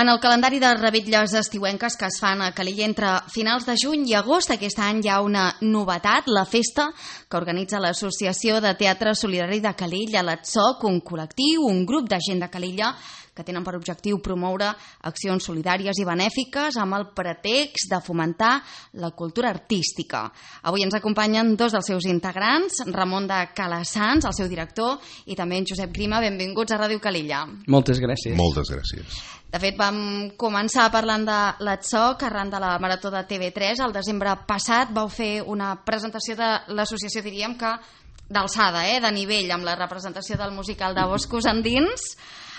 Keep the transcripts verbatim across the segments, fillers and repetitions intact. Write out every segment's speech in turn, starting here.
En el calendari de revetlles estiuenques que es fan a Calella entre finals de juny i agost, aquest any hi ha una novetat, la festa que organitza l'Associació de Teatre Solidari de Calella, l'A T S O C, un col·lectiu, un grup de gent de Calella que tenen per objectiu promoure accions solidàries i benèfiques amb el pretext de fomentar la cultura artística. Avui ens acompanyen dos dels seus integrants, Ramon de Calassans, el seu director, i també en Josep Grima. Benvinguts a Ràdio Calella. Moltes gràcies. Moltes gràcies. De fet, vam començar parlant de l'A T S O C arran de la Marató de T V tres. El desembre passat vau fer una presentació de l'associació, diríem que d'alçada, eh, de nivell, amb la representació del musical de Boscos Endins.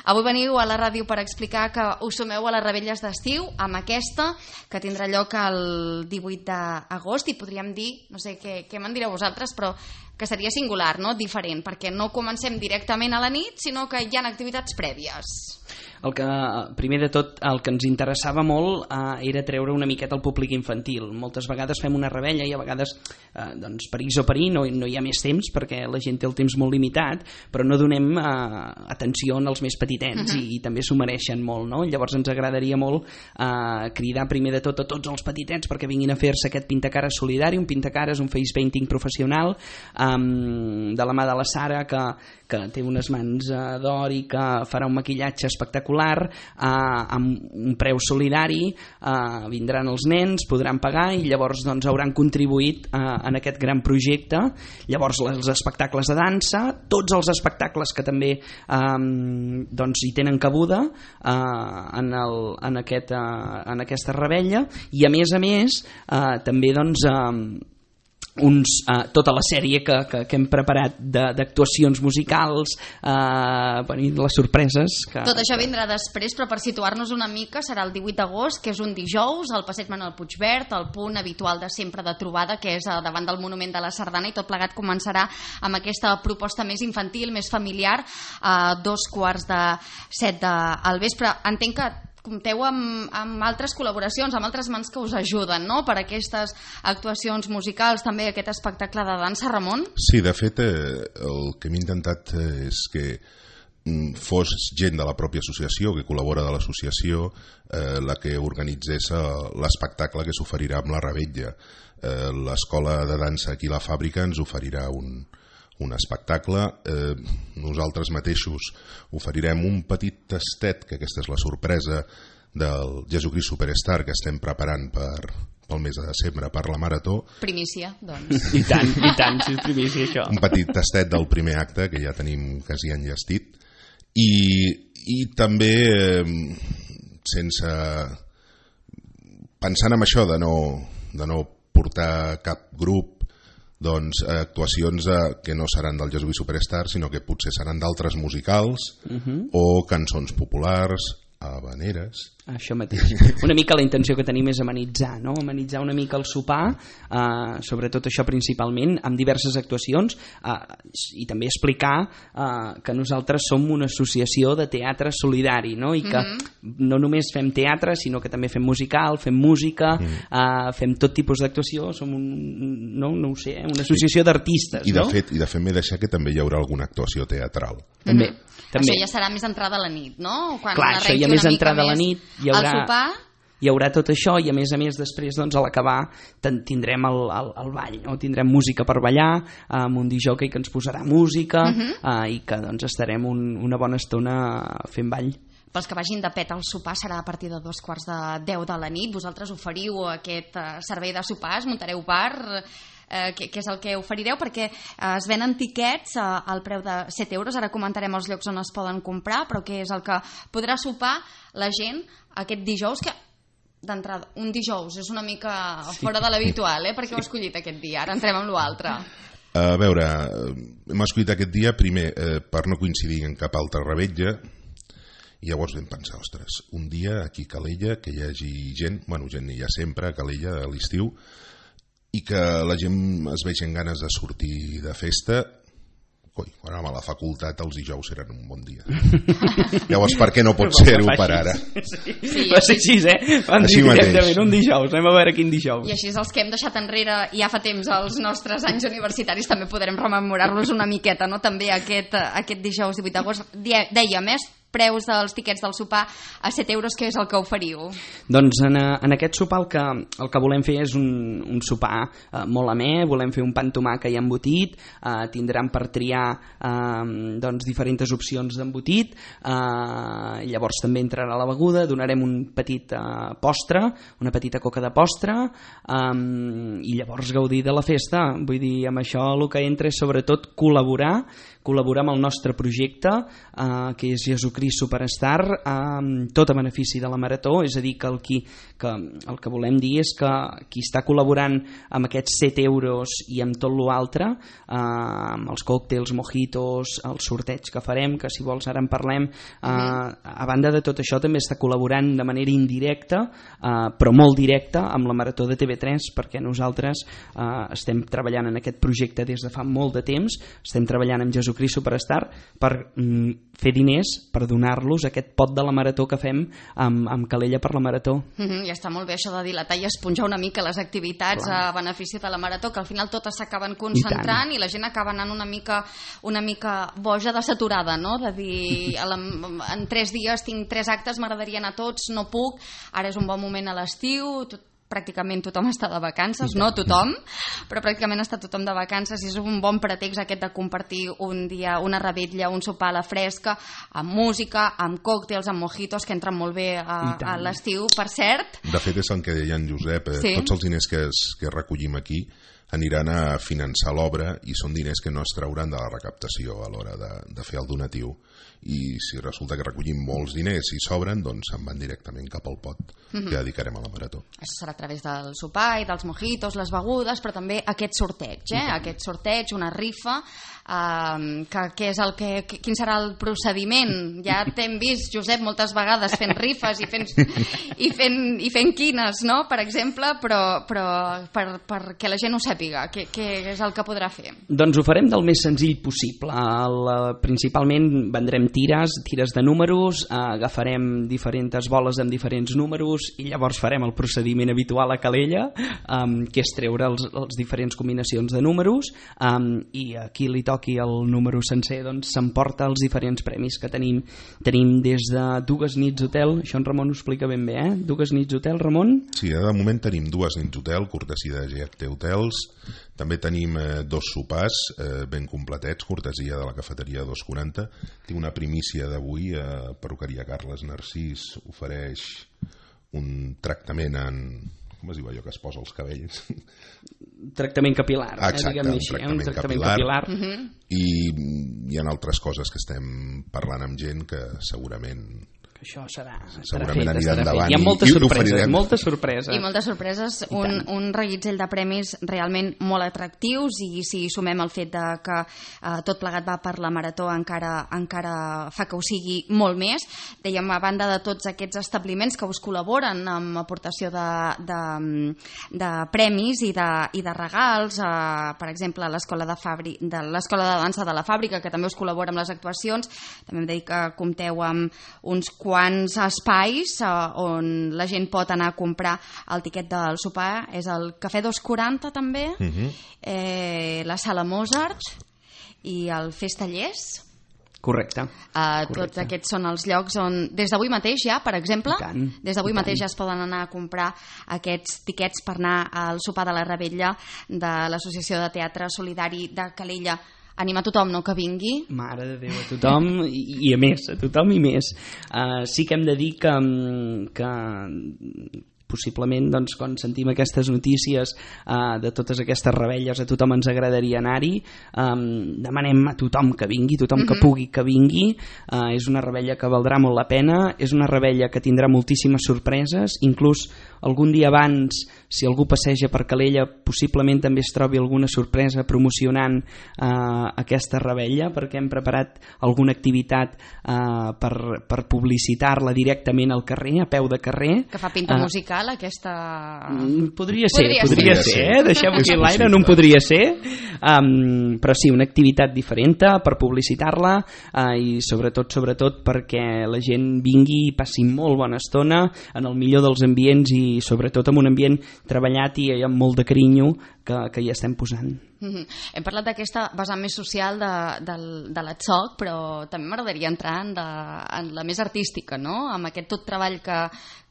Avui veniu a la ràdio per explicar que us sumeu a les revetlles d'estiu amb aquesta, que tindrà lloc el divuit d'agost, i podríem dir, no sé què, què me'n direu vosaltres, però que seria singular, no? Diferent, perquè no comencem directament a la nit, sinó que hi ha activitats prèvies. El que, primer de tot, el que ens interessava molt eh, era treure una miqueta el públic infantil. Moltes vegades fem una rebella i a vegades, eh, doncs, per X o per Y, no, no hi ha més temps perquè la gent té el temps molt limitat, però no donem eh, atenció als més petitets uh -huh. i, i també s'ho mereixen molt, no? Llavors ens agradaria molt eh, cridar primer de tot a tots els petitets perquè vinguin a fer-se aquest pintacares solidari, un pintacares, un face painting professional, eh, de la mà de la Sara, que, que té unes mans eh, d'or i que farà un maquillatge espectacular, eh, amb un preu solidari, eh, vindran els nens, podran pagar i llavors doncs, hauran contribuït eh, en aquest gran projecte. Llavors els espectacles de dansa, tots els espectacles que també eh, doncs, hi tenen cabuda eh, en, el, en, aquest, eh, en aquesta rebella, i a més a més eh, també doncs eh, Uns, uh, tota la sèrie que, que, que hem preparat d'actuacions musicals, uh, les sorpreses que... Tot això vindrà després, però per situar-nos una mica serà el divuit d'agost, que és un dijous, al passeig Manuel Puigverd, el punt habitual de sempre de trobada, que és davant del Monument de la Sardana, i tot plegat començarà amb aquesta proposta més infantil, més familiar, a dos quarts de set del vespre. Entenc que compteu amb, amb altres col·laboracions, amb altres mans que us ajuden, no?, per aquestes actuacions musicals, també aquest espectacle de dansa, Ramon? Sí, de fet, eh, el que hem intentat és que fos gent de la pròpia associació, que col·labora de l'associació, eh, la que organitzés l'espectacle que s'oferirà amb la rebella. Eh, L'escola de dansa aquí a la fàbrica ens oferirà un... un espectacle, eh, nosaltres mateixos oferirem un petit tastet, que aquesta és la sorpresa del Jesucrist Superstar que estem preparant per, pel mes de desembre per la Marató. Primícia, doncs. I tant, i tant, si és primícia això. Un petit tastet del primer acte que ja tenim quasi enllestit, i, i també eh, sense pensant en això de no, de no portar cap grup, doncs actuacions eh, que no seran del Jesucrist Superstar, sinó que potser seran d'altres musicals uh-huh. o cançons populars, habaneres. Això mateix. Una mica la intenció que tenim és amenitzar, no? Amenitzar una mica el sopar, eh, sobretot això principalment, amb diverses actuacions, eh, i també explicar eh, que nosaltres som una associació de teatre solidari, no? I que mm-hmm. no només fem teatre, sinó que també fem musical, fem música, mm. eh, fem tot tipus d'actuació, som un, no, no ho sé, una associació sí. d'artistes, I de no? fet, i de fet m'he deixat que també hi haurà alguna actuació teatral. També. Mm-hmm. També. Això ja serà més entrada a la nit, no? Quan Clar, això ja més entrada a la nit, hi haurà, el sopar... hi haurà tot això, i a més a més després doncs, a l'acabar tindrem el, el, el ball, no? Tindrem música per ballar, amb un disjockey que ens posarà música, uh-huh. eh, i que doncs, estarem un, una bona estona fent ball. Pels que vagin de pet, el sopar serà a partir de dos quarts de deu de la nit. Vosaltres oferiu aquest uh, servei de sopars, muntareu bar... Eh, que, que és el que oferireu, perquè eh, es venen tiquets eh, al preu de set euros. Ara comentarem els llocs on es poden comprar, però que és el que podrà sopar la gent aquest dijous, que d'entrada, un dijous és una mica fora de l'habitual, eh? Perquè heu escollit aquest dia. Ara entrem amb l'altre. A veure, hem escollit aquest dia primer eh, per no coincidir en cap altra rebetlla, i llavors vam pensar, ostres, un dia aquí a Calella que hi hagi gent, bueno, gent hi ha sempre a Calella a l'estiu, i que la gent es vegi amb ganes de sortir de festa. Coi, quan a la facultat els dijous eren un bon dia. Llavors, per què no pot ser-ho per ara? Sí, sí, va ser així, eh? Van dir directament un dijous, anem a veure quin dijous. I així els que hem deixat enrere ja fa temps els nostres anys universitaris també podrem rememorar-los una miqueta, no? També aquest, aquest dijous divuit d'agost. Dèiem, eh? preus dels tiquets del sopar a set euros, què és el que oferiu? Doncs en, en aquest sopar el que, el que volem fer és un, un sopar eh, molt amè, volem fer un pa amb tomàquet i embotit, eh, tindran per triar eh, doncs, diferents opcions d'embotit, eh, llavors també entrarà la beguda, donarem un petit eh, postre, una petita coca de postre, eh, i llavors gaudir de la festa. Vull dir, amb això el que entra és sobretot col·laborar, col·laborar amb el nostre projecte, eh, que és Jesucrist Superstar, amb tot a benefici de la Marató, és a dir, que el, qui, que el que volem dir és que qui està col·laborant amb aquests set euros i amb tot l'altre, eh, amb els còctels, mojitos, el sorteig que farem, que si vols ara en parlem, eh, a banda de tot això també està col·laborant de manera indirecta, eh, però molt directa, amb la Marató de T V tres, perquè nosaltres eh, estem treballant en aquest projecte des de fa molt de temps, estem treballant amb Jesucrist Superstar per mm, fer diners, per donar-los aquest pot de la Marató que fem amb, amb Calella per la Marató. Mm-hmm, ja està molt bé això de dilatar i esponjar una mica les activitats Clar. A benefici de la Marató, que al final totes s'acaben concentrant i, i la gent acaba anant una mica, una mica boja de saturada, no? De dir, la, en tres dies tinc tres actes, m'agradaria anar a tots, no puc, ara és un bon moment a l'estiu, tot pràcticament tothom està de vacances, no tothom, però pràcticament està tothom de vacances i és un bon pretext aquest de compartir un dia, una revetlla, un sopar a la fresca, amb música, amb còctels, amb mojitos, que entren molt bé a, a l'estiu, per cert. De fet, és el que deia en Josep, eh, sí. Tots els diners que, es, que recollim aquí aniran a finançar l'obra i són diners que no es trauran de la recaptació a l'hora de, de fer el donatiu. I si resulta que recollim molts diners i sobren, doncs se'n van directament cap al pot mm-hmm. que dedicarem a la Marató. Això serà a través del sopar i dels mojitos, les begudes, però també aquest sorteig, eh? Mm-hmm. Aquest sorteig, una rifa, eh, que, que és el que, quin serà el procediment? Ja t'hem vist, Josep, moltes vegades fent rifes i fent, i fent, i fent quines, no? Per exemple, però, però per, perquè la gent ho sàpiga, què, què és el que podrà fer? Doncs ho farem del més senzill possible. El, principalment vendrem tires, tires de números, eh, agafarem diferents boles amb diferents números i llavors farem el procediment habitual a Calella, eh, que és treure els, els diferents combinacions de números, eh, i a qui li toqui el número sencer doncs s'emporta els diferents premis que tenim. Tenim des de dues nits hotel, això en Ramon ho explica ben bé, eh? Dues nits hotel, Ramon? Sí, de moment tenim dues nits hotel, cortesia de G H T Hotels. També tenim eh, dos sopars eh, ben completets, cortesia de la cafeteria dos quaranta. Tinc una primícia d'avui, eh, perruqueria Carles Narcís ofereix un tractament en... com es diu allò que es posa als cabells? Tractament capilar. Exacte, eh, un així, tractament, un tractament capilar. capilar. Uh-huh. I hi ha altres coses que estem parlant amb gent que segurament... Això serà, segurament serà anirà fet, endavant. Hi ha moltes sorpreses, moltes sorpreses. I moltes sorpreses, un, un reguitzell de premis realment molt atractius, i si sumem el fet de que eh, tot plegat va per la Marató encara, encara fa que ho sigui molt més. Dèiem, a banda de tots aquests establiments que us col·laboren amb aportació de, de, de premis i de, i de regals, eh, per exemple l'escola de, Fabri, de l'escola de dansa de la Fàbrica, que també us col·labora amb les actuacions. També hem de dir que compteu amb uns quants espais eh, on la gent pot anar a comprar el tiquet del sopar. És el Cafè dos quaranta també, uh-huh. eh, la Sala Mozart i el Festallers. Correcte. Uh, Correcte. Tots aquests són els llocs on, des d'avui mateix ja, per exemple, des d'avui mateix ja es poden anar a comprar aquests tiquets per anar al sopar de la Revetlla de l'Associació de Teatre Solidari de Calella. Anima a tothom, no?, que vingui. Mare de Déu, a tothom i, i a més, a tothom i més. Uh, sí que hem de dir que, que possiblement, doncs, quan sentim aquestes notícies uh, de totes aquestes rebelles, a tothom ens agradaria anar-hi. Um, demanem a tothom que vingui, tothom que pugui que vingui. Uh, és una rebella que valdrà molt la pena, és una rebella que tindrà moltíssimes sorpreses, inclús algun dia abans, si algú passeja per Calella, possiblement també es trobi alguna sorpresa promocionant uh, aquesta rebella, perquè hem preparat alguna activitat uh, per, per publicitar-la directament al carrer, a peu de carrer. Que fa pinta uh, musical. musical aquesta... Mm, podria ser, podria, podria ser, ser. eh? Deixem-ho aquí a l'aire, no en podria ser. Um, però sí, una activitat diferent per publicitar-la uh, i sobretot, sobretot perquè la gent vingui i passi molt bona estona en el millor dels ambients i sobretot en un ambient treballat i amb molt de carinyo que, que hi estem posant. Mm-hmm. Hem parlat d'aquesta vessant més social de, de, de l'Atsoc, però també m'agradaria entrar en, de, en la més artística, no? Amb aquest tot treball que,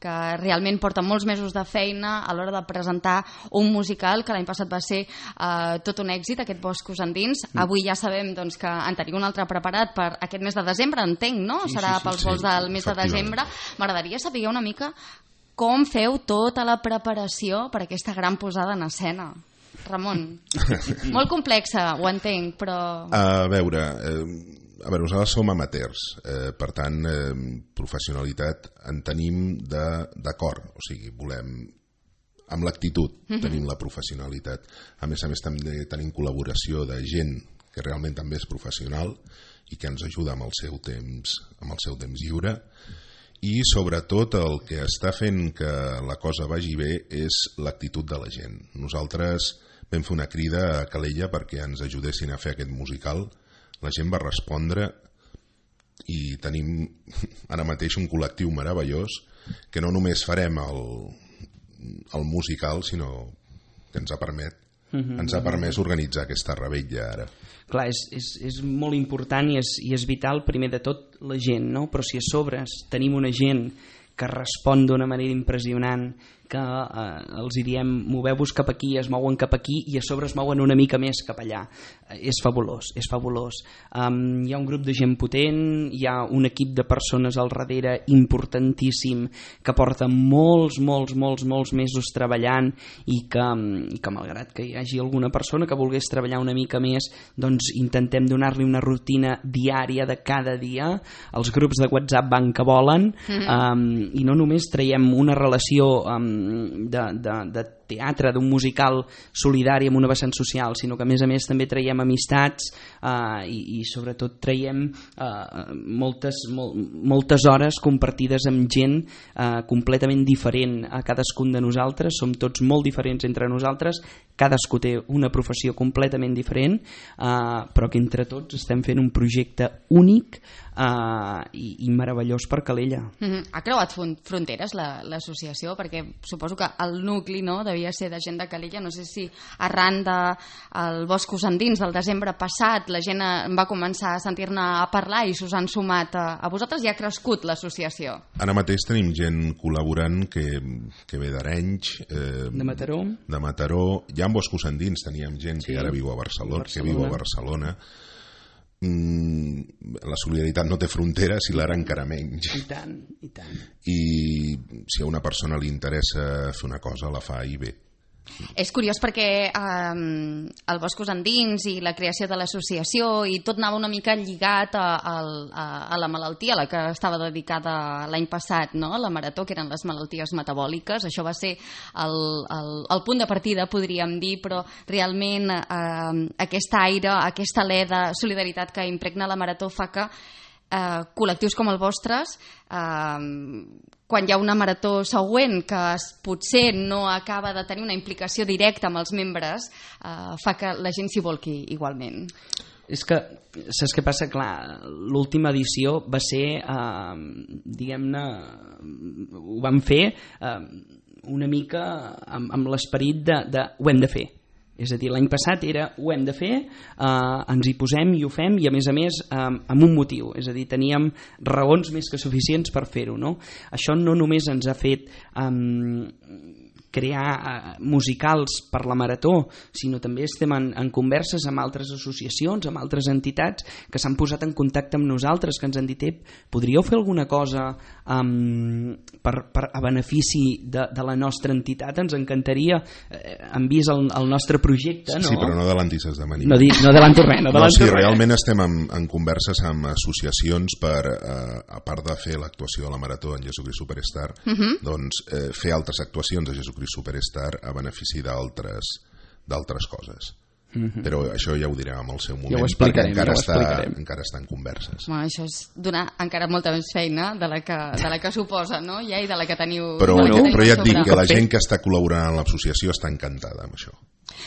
que realment porta molts mesos de feina a l'hora de presentar un musical que l'any passat va ser eh, tot un èxit, aquest Boscos Endins. Mm. Avui ja sabem doncs, que en teniu un altre preparat per aquest mes de desembre, entenc, no? Sí, Serà sí, sí, pels sí, vols sí, del mes de desembre. M'agradaria saber una mica com feu tota la preparació per aquesta gran posada en escena. Ramon, molt complexa, ho entenc, però... A veure, eh, a veure nosaltres som amateurs, eh, per tant, eh, professionalitat en tenim d'acord, o sigui, volem, amb l'actitud mm-hmm. tenim la professionalitat. A més a més també tenim col·laboració de gent que realment també és professional i que ens ajuda amb el seu temps, amb el seu temps lliure. I sobretot el que està fent que la cosa vagi bé és l'actitud de la gent. Nosaltres vam fer una crida a Calella perquè ens ajudessin a fer aquest musical. La gent va respondre i tenim ara mateix un col·lectiu meravellós que no només farem el, el musical, sinó que ens ha permet Mm-hmm. ens ha permès organitzar aquesta revetlla ara. Clar, és, és, és molt important i és, i és vital primer de tot la gent, no? Però si a sobre tenim una gent que respon d'una manera impressionant, que eh, els diem moveu-vos cap aquí, es mouen cap aquí i a sobre es mouen una mica més cap allà. Eh, és fabulós, és fabulós. Um, hi ha un grup de gent potent, hi ha un equip de persones al darrere importantíssim que porta molts, molts, molts, molts mesos treballant i que, i que malgrat que hi hagi alguna persona que volgués treballar una mica més, doncs intentem donar-li una rutina diària de cada dia. Els grups de WhatsApp van que volen, mm-hmm. um, i no només traiem una relació um, de, de, de teatre, d'un musical solidari amb una vessant social, sinó que a més a més també traiem amistats eh, i, i sobretot traiem eh, moltes, mol, moltes hores compartides amb gent eh, completament diferent a cadascun de nosaltres. Som tots molt diferents entre nosaltres, cadascú té una professió completament diferent, eh, però que entre tots estem fent un projecte únic eh, i, i meravellós per Calella. Mm-hmm. Ha creuat fronteres l'associació? Perquè suposo que el nucli, no, devia ser de gent de Calella. No sé si arran del Boscos Endins del desembre passat la gent va començar a sentir-ne a parlar i s'us han sumat a, a vosaltres i ha crescut l'associació. Ara mateix tenim gent col·laborant que, que ve d'Arenys, eh, de Mataró. De Mataró. Ja en Boscos Endins teníem gent sí. que ara viu a Barcelona, Barcelona, que viu a Barcelona. Mm, la solidaritat no té fronteres i l'ara encara menys. I tant, i tant. I si a una persona li interessa fer una cosa, la fa i bé. És curiós perquè eh, el Boscos Endins i la creació de l'associació i tot anava una mica lligat a, a, a la malaltia a la que estava dedicada l'any passat, no? La marató, que eren les malalties metabòliques. Això va ser el, el, el punt de partida, podríem dir, però realment eh, aquest aire, aquesta alè de solidaritat que impregna la marató fa que eh, col·lectius com el vostres, eh, quan hi ha una marató següent que potser no acaba de tenir una implicació directa amb els membres, eh, fa que la gent s'hi volqui igualment. És que, saps què passa? Clar, l'última edició va ser, eh, diguem-ne, ho vam fer eh, una mica amb, amb l'esperit de, de ho hem de fer. És a dir, l'any passat era ho hem de fer, eh, ens hi posem i ho fem, i a més a més eh, amb un motiu, és a dir, teníem raons més que suficients per fer-ho, no? Això no només ens ha fet eh, crear eh, musicals per la marató, sinó també estem en, en converses amb altres associacions, amb altres entitats que s'han posat en contacte amb nosaltres, que ens han dit, podríeu fer alguna cosa um, per, per, a benefici de, de la nostra entitat? Ens encantaria, eh, han vist el, el nostre projecte, no? Sí, però no adelantis esdeveniment. No, di, no adelanto res, no adelanto no, sí, res. Realment estem en, en converses amb associacions per, eh, a part de fer l'actuació de la marató en Jesucrist Superstar, uh-huh. doncs eh, fer altres actuacions de Jesucrist Superstar a benefici d'altres d'altres coses. Mm-hmm. Però això ja ho direm en el seu moment, ja ho explicarem, perquè encara, ja ho està, encara està en converses. Bueno, això és donar encara molta més feina de la que, de la que suposa, no? Ja, i de la que teniu... Però, la que teniu però ja et dic sobre. que la gent que està col·laborant en l'associació està encantada amb això.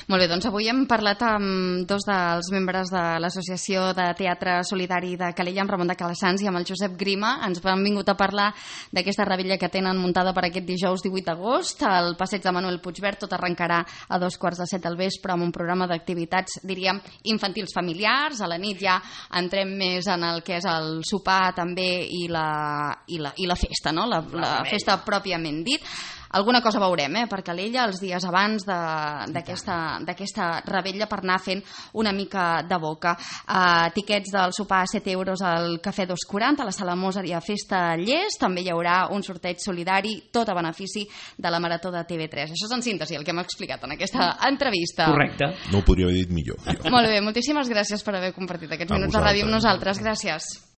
Molt bé, doncs avui hem parlat amb dos dels membres de l'Associació de Teatre Solidari de Calella, amb Ramon de Calassanç i amb el Josep Grima. Ens han vingut a parlar d'aquesta revetlla que tenen muntada per aquest dijous divuit d'agost. El passeig de Manuel Puigverd tot arrencarà a dos quarts de set del vespre amb un programa d'activitats, diríem, infantils familiars. A la nit ja entrem més en el que és el sopar també i la, i la, i la festa, no? La, la festa pròpiament dit. Alguna cosa veurem, eh, per Calella els dies abans d'aquesta revetlla per anar fent una mica de boca. Uh, tiquets del sopar a set euros al Cafè dos quaranta, a la Sala Mozart i a Festa Llest. També hi haurà un sorteig solidari, tot a benefici de la Marató de T V tres. Això és en síntesi el que hem explicat en aquesta entrevista. Correcte. No ho podria haver dit millor. Jo. Molt bé, moltíssimes gràcies per haver compartit aquests A minuts de ràdio amb vosaltres. nosaltres. Gràcies.